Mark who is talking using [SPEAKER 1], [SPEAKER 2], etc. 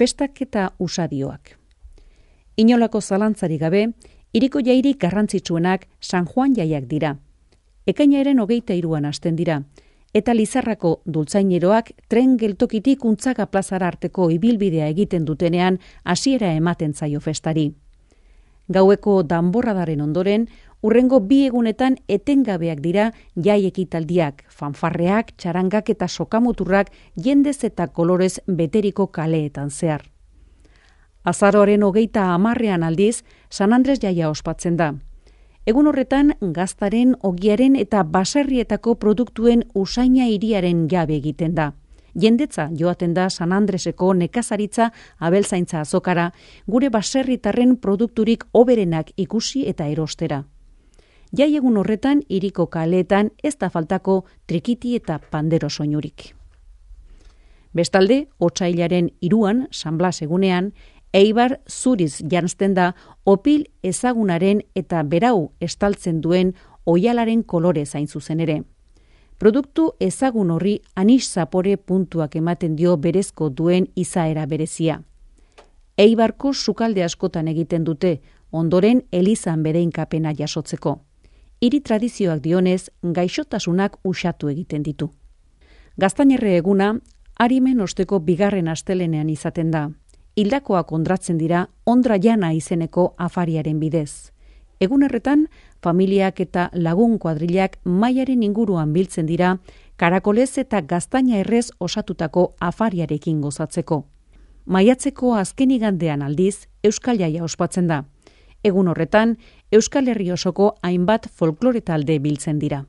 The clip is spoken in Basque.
[SPEAKER 1] festak eta usadioak. Inolako zalantzari gabe, hiriko jairik garrantzitsuenak San Juan jaiak dira. Ekainaren 23an hasten dira, eta Lizarrako dultzaineroak tren geltokitik Untzaga plazara arteko ibilbidea egiten dutenean hasiera ematen zaio festari. Gaueko danborradaren ondoren, hurrengo 2 egunetan etengabeak dira jai ekitaldiak, fanfarreak, txarangak eta sokamuturrak jendez eta kolorez beteriko kaleetan zehar. Azaroaren 30ean aldiz, San Andres jaia ospatzen da. Egun horretan, gaztaren, ogiaren eta baserrietako produktuen usaina hiriaren jabe egiten da. Jendetza joaten da San Andreseko nekazaritza abeltzaintza azokara, gure baserritarren produkturik hoberenak ikusi eta erostera. Jai egun horretan, hiriko kaleetan ez da faltako trikiti eta pandero soinurik. Bestalde, otsailaren 3an, San Blas egunean, Eibar zuriz janzten da opil ezagunaren eta berau estaltzen duen oihalaren kolore zain zuzen ere. Produktu ezagun horri anis zapore puntuak ematen dio berezko duen izaera berezia. Eibarko sukalde askotan egiten dute, ondoren elizan bedeinkapena jasotzeko. Hiri tradizioak dionez, gaixotasunak usatu egiten ditu. Gaztainerre eguna, arimen osteko 2. astelenean izaten da. Hildakoak ondratzen dira Ondra Jana izeneko afariaren bidez. Egun horretan, familiak eta lagun kuadrilak mailaren inguruan biltzen dira, karakolez eta gaztaina errez osatutako afariarekin gozatzeko. Maiatzeko azken igandean aldiz, Euskal Jaia ospatzen da. Egun horretan, Euskal Herri osoko hainbat folklore talde biltzen dira.